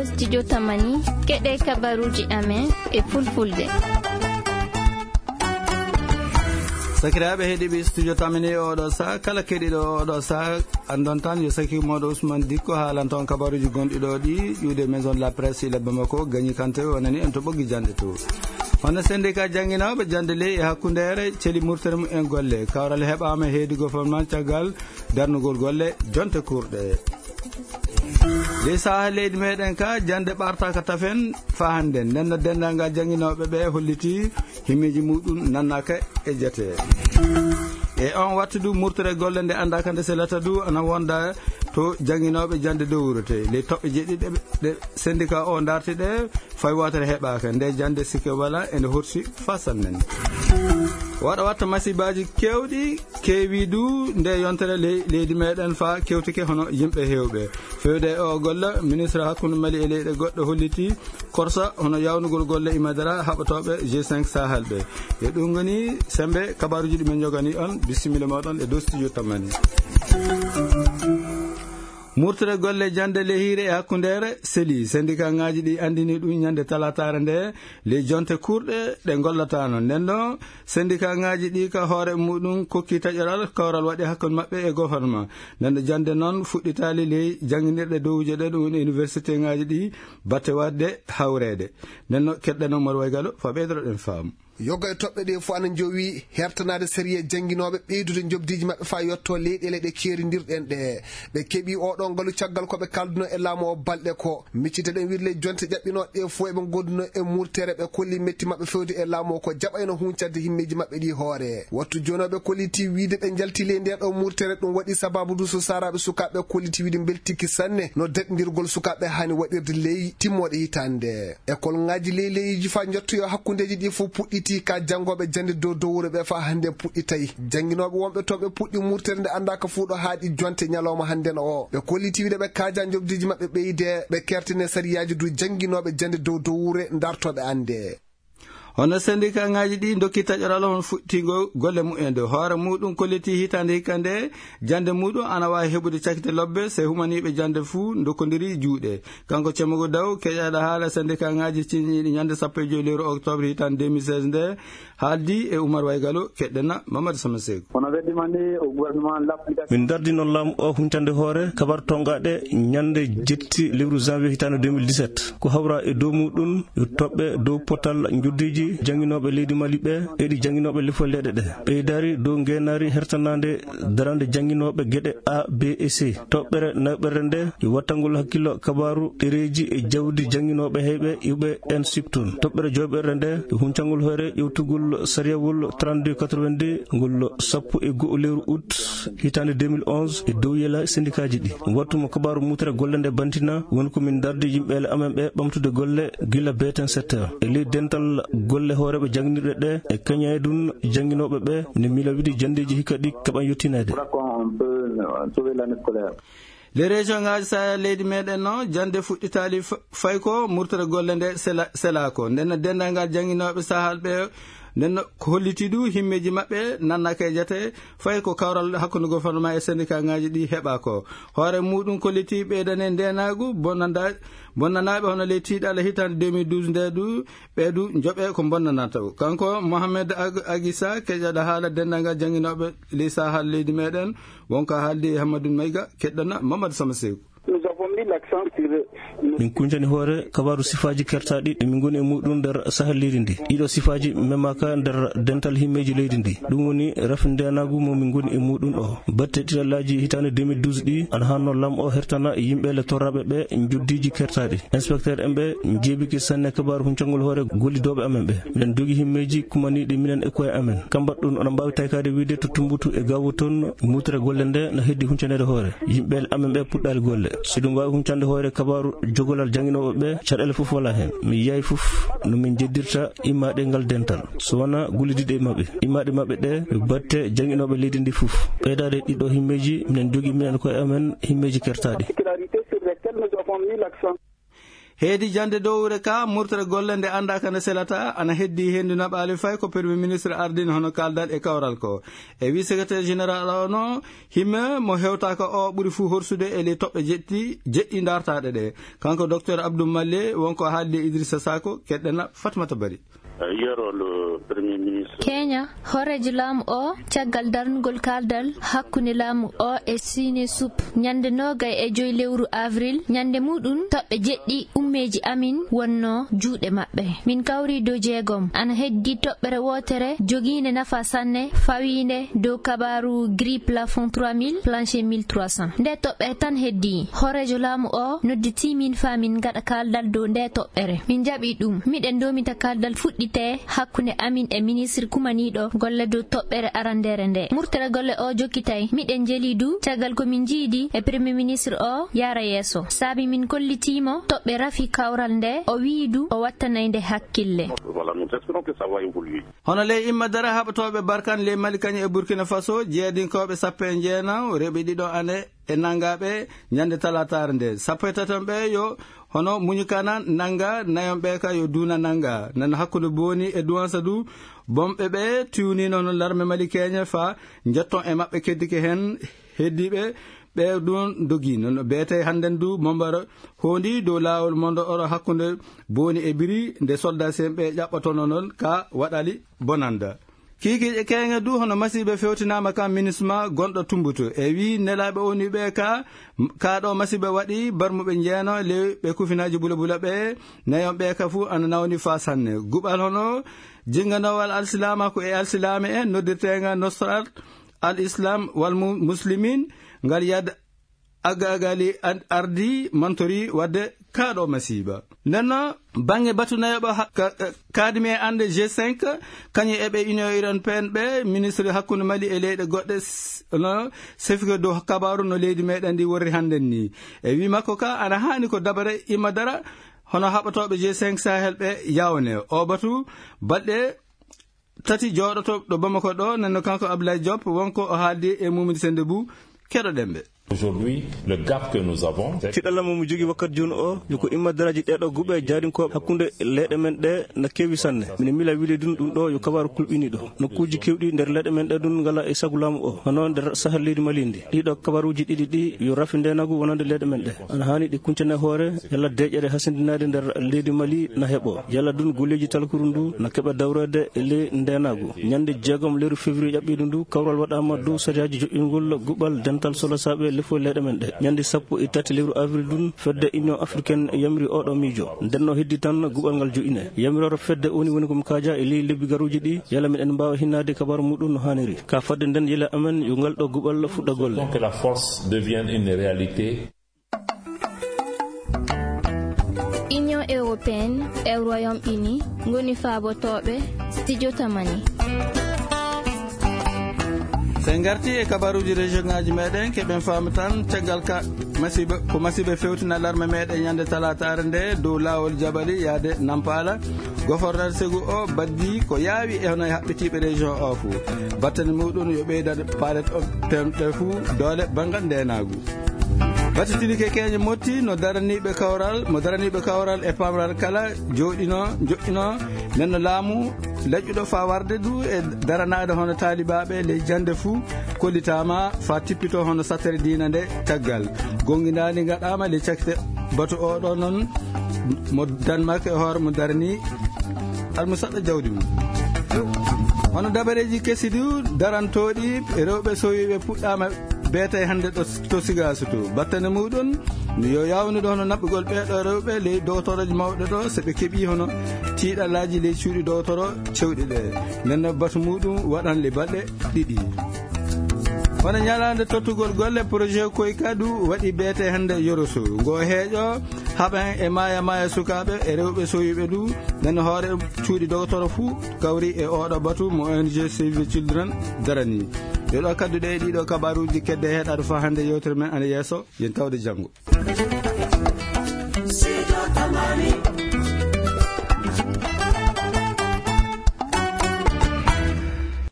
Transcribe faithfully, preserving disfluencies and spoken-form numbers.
Studio Tamani, keɗe kabaruji amen e fulfulde. Sakiraaɓe heɗiiɓe Studio Tamani, oɗo saa kala keɗiɗo oɗo saa andon tan yo saki moɗo Ousmane Dikko haalan ton kabaruji gonɗi ɗo ɗi ƴuude Maison de la Presse ila Bamako, Gagny Kanté o nani en to ɓoggi jande to. Hono syndicat jannginooɓe jannde ley e hakkundeere celi murtere mum en golle. Kawral heɓaama heedi gouvernement caggal darnugol golle jonte kurɗe. Ley sahaa leydi meɗen ka, jannde ɓartaaka tafen faa hannden. Nden no denndaangal jannginooɓe ɓe holliti himmeeji muɗum nannaaka e jate. E on wattu du murtere golle nde anndaaka nde selata du ana wonda to jannginooɓe jannde dow wuro te. Ley toɓɓe jeɗɗi ɗe, ɗe syndicat o darti ɗe, fay wootere heɓaaka. Nde jannde sikke wala ene horsi fasan men. Waɗa watta masibaaji keewɗi, keewi du nde yontere ley-, leydi meɗen faa kewtike hono yimɓe heewɓe. Fewde e o golla, ministre hakkunde Mali e leyɗe goɗɗe holliti korsa hono yawnugol golle imadara haɓatooɓe G cinq Sahel ɓe. E ɗum ngoni sembe kabaruji ɗi men njogani on. Bisimilla moɗon e dow Studio Tamani. Murtere golle jannde lehire e hakkundeere seli. Syndicat ngaji ɗi andini ɗum ñande talataare nde ley jonte kurɗe ɗe ngollataano. Nden ɗo syndicat ngaji ɗi ka hoore muɗum kokki taƴoral kawral waɗi hakkunde maɓɓe e gouvernement. Nden ɗo jannde noon fuɗɗitaali ley jannginirɗe dowuje ɗe, ɗum woni université ngaji ɗi batte waɗde hawreede. Nden no keɗɗen Omar Waygalo fa ɓeydoroɗen faamu. Yoga e toɓɓe ɗe fof ana njowi hertanaade sariya jannginooɓe ɓeydude njoɓdiiji maɓɓe faa yotto leyɗeele ɗe keerindirɗen ɗe. Ɓe keɓi oɗo ngalu caggal ko ɓe kalduno e laamu o balɗe ko. Miccite ɗen wirle jonte ƴaɓɓinooɗe ɗe fof eɓe ngonduno e murtere ɓe kolli metti maɓɓe fewde e laamu o ko jaɓayno huncande himmeeji maɓɓe ɗi hoore. Wattu jooni o ɓe kolliti wiide ɓe njalti ley nde ɗo murtere ɗum waɗi sababu du so saaraaɓe sukaaɓe kolliti wiide mbeltiki sanne no daɗindirgol sukaaɓe haani waɗirde ley timmooɗe hitaande. École ngaji ley leyiji faa njottoyo hakkundeeji ɗi fof puɗɗiti ka janngooɓe jannde dow dow wuro ɓe faa hannde puɗɗitay. Jannginooɓe wonɓe toon ɓe puɗɗi murtere nde anndaaka fuu ɗo haaɗi jonte ñalawma hannden o. Ɓe kolliti wiide ɓe kaaja njoɓdiiji maɓɓe ɓeyde, ɓe kertine sariyaaji du jannginooɓe jannde dow dow wure ndartooɓe annde. Hono syndicat ngaji ɗi ndokki taƴoral on fuɗɗitingo golle mumen dow hoore muɗum kolliti hitaande hikka nde jannde muɗum ana waawi heɓude cakite lobbe se humaniiɓe jannde fuu ndokkondiri juuɗe. Kanko Cemmogo Daw, keƴaaɗo haala syndicat ngaji ciñiiɗi ñande sappo e joy lewru octobre hitaande deux mille seize nde, haaldi e Umar Waygalo, keɗɗena Mamadou Sama Seeku. Kono weddima ni o gouvernement l'application. Min dardi noon laamu o huntande hoore kabar tongaɗe ñande jetti lewru janvier hitaande deux mille dix-sept. Ko hawra e dow muɗum yo toɓɓe dow potal njoɓdiiji jannginooɓe leydi Mali ɓe e ɗi jannginooɓe lefol leyɗe ɗe. Ɓeydaari dow ngeenaari hertanaande darande jannginooɓe geɗe A, B e C. Toɓɓere naɓere nde yo wattangol hakkillo kabaaru ɗereeji e jawdi jannginooɓe heyɓe iwɓe en siptun. Toɓɓere joɓere nde yo huncangol hoore ƴewtugol sariyawol trente-deux quatre-vingt-deux ngol sappo e go'o lewru août hitaande deux mille onze e dow yela sendikaaji ɗi. Wattu mo kabaaru mutere golle nde bantina woni ko min dardi yimɓeele amen ɓe ɓamtude golle gila beten sept heures. E ley dental golle hooreeɓe jannginirɗe ɗe e keñaydun jannginooɓe ɓe ne miila wiɗi janndeeji hikka ɗi keɓan yettineede. Voilà comment on peut, euh, sauver l'année scolaire. Les régions ngaji Sahel leydi meɗen no jannde fuɗɗitaali f-, fay ko murtere golle nde sela-, selaako. Nden no denndaangal jannginooɓe Sahel ɓe, nden no ko holliti du himmeeji maɓɓe nannaaka e jate, fay ko kawral hakkunde gouvernement e syndicat ngaji ɗi heɓa ko. Hoore muɗum kolliti ɓeydane ndeenaagu bonnanda-, bonnanaaɓe hono ley tiiɗalla hitaande deux mille douze nde du, ɓe du njoɓe ko bonnanata. Kanko Mohamed Ag-, Agisa, keƴaɗo haala denndaangal jannginooɓe ley Sahel leydi meɗen, wonko haaldi e Hammadou Maïga, keɗɗana Mamadou Sama Seeku. Nous avons mis l'accent sur... Min kuncani hoore kabaaru sifaaji kertaaɗi ɗi min ngoni e muɗum nder Sahel leydi ndi. Ɗiɗo sifaaji memaaka nder dental himmeeji leydi ndi. Ɗum woni rafi ndeenaagu mo min ngoni e muɗum o. Batte ɗiɗallaaji hitaande deux mille douze ɗi ana hanno lam o hertana yimɓe le torraɓe ɓe njoddiiji kertaaɗi. Inspecteur en ɓe njeebiki sanne kabaaru huncangol hoore gollidooɓe amen ɓe. Miɗen jogi himmeeji kumaniiɗi minen e koye amen. Kam mbaɗɗun, oɗon mbaawi taykaade wiide to Tumbutu e Gaawo toon, mutere golle nde no heddi huncaneede hoore. Yimɓe amen ɓe puɗɗaali golle. Si ɗum waawi huncande hoore kabaaru jogolal jannginooɓe ɓe, caɗeele fof walaa heen. Mi yiyaay fof no min njeddirta immaaɗe ngal dental. So wonaa gollidiiɗe e maɓɓe. Immaaɗe maɓɓe ɗe, yo batte jannginooɓe leydi ndi fof. Ɓeydaade ɗiɗo himmeeji, minen jogi minen koye amen himmeeji kertaaɗi. Particularité sur lesquelles nous avons mis l'accent. Heedi jannde dowre ka, murtere golle nde anndaa ka nde selata, ana heddi henndu naɓaali fay ko Premier Ministre ardini hono kaaldal e kawral ko. E wi Secrétaire Général o no, himme mo hewtaaka o ɓuri fuu horsude e ley toɓɓe jeɗɗi, jeɗɗi dartaaɗe ɗe. Kanko Docteur Abdou Malle, wonko haaldi e Idrissa Sako, keɗɗena Fatmata Bari. Hier, le Premier Ministre. Kenya, hooreejo laamu o, caggal darnugol kaaldal hakkunde laamu o e Sine Sup, ñande noogay e joy lewru avril, ñande muɗum toɓɓe jeɗɗi ummeeji amin wonno juuɗe maɓɓe. Min kawri dow jeegom, ana heddi toɓɓere wootere jogiinde nafa sanne, fawiinde dow kabaaru gris plafond trois mille, plancher mille trois cents. Nde toɓɓere tan heddi. Hooreejo laamu o nodditi min faa min ngaɗa kaaldal dow nde toɓɓere. Min jaɓi ɗum. Miɗen ndomita kaaldal fuɗɗite hakkunde amin e ministre kumaniiɗo golle dow toɓɓere arandeere nde. Murtere golle o jokkitay. Miɗen jeli du caggal ko min jiidi e Premier Ministre o yaara yeeso. Saabi min kollitiimo toɓɓe rafi kawral nde, o wi'i du o wattanay nde hakkille. Voilà, nous espérons que ça va évoluer. Hono ley imma dara haɓotooɓe Barkan ley Mali kañum e Burkina Faso, jeedinkooɓe sappo e jeenaw, rewɓe ɗiɗo ane e nangaaɓe ñande talaataare nde. Sappo e taton ɓe yo hono Muñukana nanga, nayon ɓe ka yo Duuna nanga. Nan hakkunde Booni e Duwansa du, bomɓe ɓe tiwnino no larme Mali keñe fa jetton e maɓɓe keddike hen heddiiɓe ɓe ɗum dogi. Noon ɓe tawi hannden du mombaro hondi dow laawol mondo oro hakkunde Booni e Biri nde soldat sen ɓe ƴaɓɓotono noon ka waɗali bonanda. Kiikiiɗe keeŋe du hono masiiɓe fewtinaama ka minisma gonɗo Tumbutu. E wi nelaaɓe woni ɓe ka, ka ɗo masiiɓe waɗi barmuɓe jeeno ley ɓe kufinaaji bula bula ɓe, nayon ɓe ka fu ana nawni fa sanne. Guɓal hono jinganowal alsilaamaaku e alsilaame en noddirteenga Nusrat al Islam wal Mu-, Muslimin ngal yad Agagali an-, ardi mantori wadde kaɗo masiiba. Nden no, bange batu nayoɓo ha-, ka-, ka-, kadimi e ande G cinq, kañum e ɓe Union Européenne ɓe, ministre hakkunde Mali e leyɗe goɗɗe s-, no, sefike dow kabaru no leydi meɗen ndi worri hannden ni. E wi makko ka, ana hani ko dabare imma dara, hono haɓotooɓe G cinq Sahel ɓe yawne. O batu, balɗe tati jooɗoto ɗo Bamako ɗo, nden no kanko Abdoulaye Diop, wonko o haaldi e Mumini Sende Bou, keɗoɗen ɓe. Aujourd'hui, le gap que nous avons, c'est tiɗalla mo mi jogi wakkati jooni o, yo ko imma daraaji ɗeɗo guɓe jaarinkooɓe hakkunde leyɗe men ɗe na keewi sanne. Mine mila wili ɗum, ɗum ɗo yo kabaru kulɓiniɗo. Nokkuuji keewɗi nder leyɗe men ɗe ɗum ngala e sagu laamu o. Hono nder Sahel leydi Mali ndi. Ɗiɗo kabaruuji ɗiɗi ɗi yo rafi ndeenagu wonande leyɗe men ɗe. Ana haani ɗi kuncane hoore, yalla deeƴere hasindinaade nder leydi Mali na heɓo. Yalla ɗum golleeji talkuru ndu na keɓa dawreede e ley ndeenagu. Ñande jeegom lewru février ƴaɓɓiiɗo ndu, kawral waɗaama dow sariyaaji joƴƴingol guɓal dental solosaaɓe lefol leyɗe men ɗe. Ñande sappo e tati lewru avril ɗum, fedde Union Africaine yamiri oɗo miijo. Nden no heddi tan guɓal ngal joƴƴine. Yamiroore fedde woni, woni ko mi kaaja e ley lebbi garuuji ɗi, yalla miɗen mbaawa hinnaade kabaaru muɗum no haaniri. Ka fadde nden yila amen yo ngal ɗo guɓal fuɗɗa golle. Donc que la force devienne une réalité. Union Européenne e Royaume-Uni ngoni faabotooɓe Studio Tamani. So en ngarti e kabaruuji région ngaji meɗen, keɓen faamu tan caggal ka masiiba, ko masiiba fewtina larme meɗen ñande talaataare nde dow laawol Jabali yaade Nampala. Gofornal segu o baddi ko yaawi e hono e haɓɓitiiɓe région o fuu. Battane muɗum yo ɓeydan palet o pemɗe fuu doole banngal ndeenaagu. Battitinike keeñe motti no daraniiɓe kawral, mo daraniiɓe kawral e pamral kala jooɗino, joɗɗino, nden no laamu laƴƴuɗo faa warde du e daranaade hono taalibaaɓe ley jannde fuu kollitaama faa tippito hono sattere diina nde caggal. Gonngindaandi ngaɗaama ley cakkite batu o ɗo noon mo Danemark e hoore mo darani almusaɗɗo jawdi mum. Hono dabareeji kesi du darantooɗi rewɓe sowiiɓe puɗɗaama beetay hannde ɗo to Sigaasu to. Battane muɗum yo yaawnude hono naɓɓugol ɓeeɗo rewɓe ley dowtorooji mawɗe ɗo, so ɓe keɓii hono tiiɗallaaji ley cuuɗi dowtoro cewɗi ɗe. Nden no batu muɗum waɗan le balɗe ɗiɗi. Hono ñalaande tottugol golle, projet Koyka du waɗi beete hannde Yoroso. Ngo heeƴo haɓan e maaya maaya sukaaɓe e rewɓe sowiiɓe du. Nden hoore cuuɗi dowtoro fuu kawri e oɗo batu mo O N G Save the Children darani. Yo ɗo kaddu ɗe e ɗiɗo kabaruuji kedde heɗaɗo faa hannde yewtere men ana yeeso. Yen tawde janngo.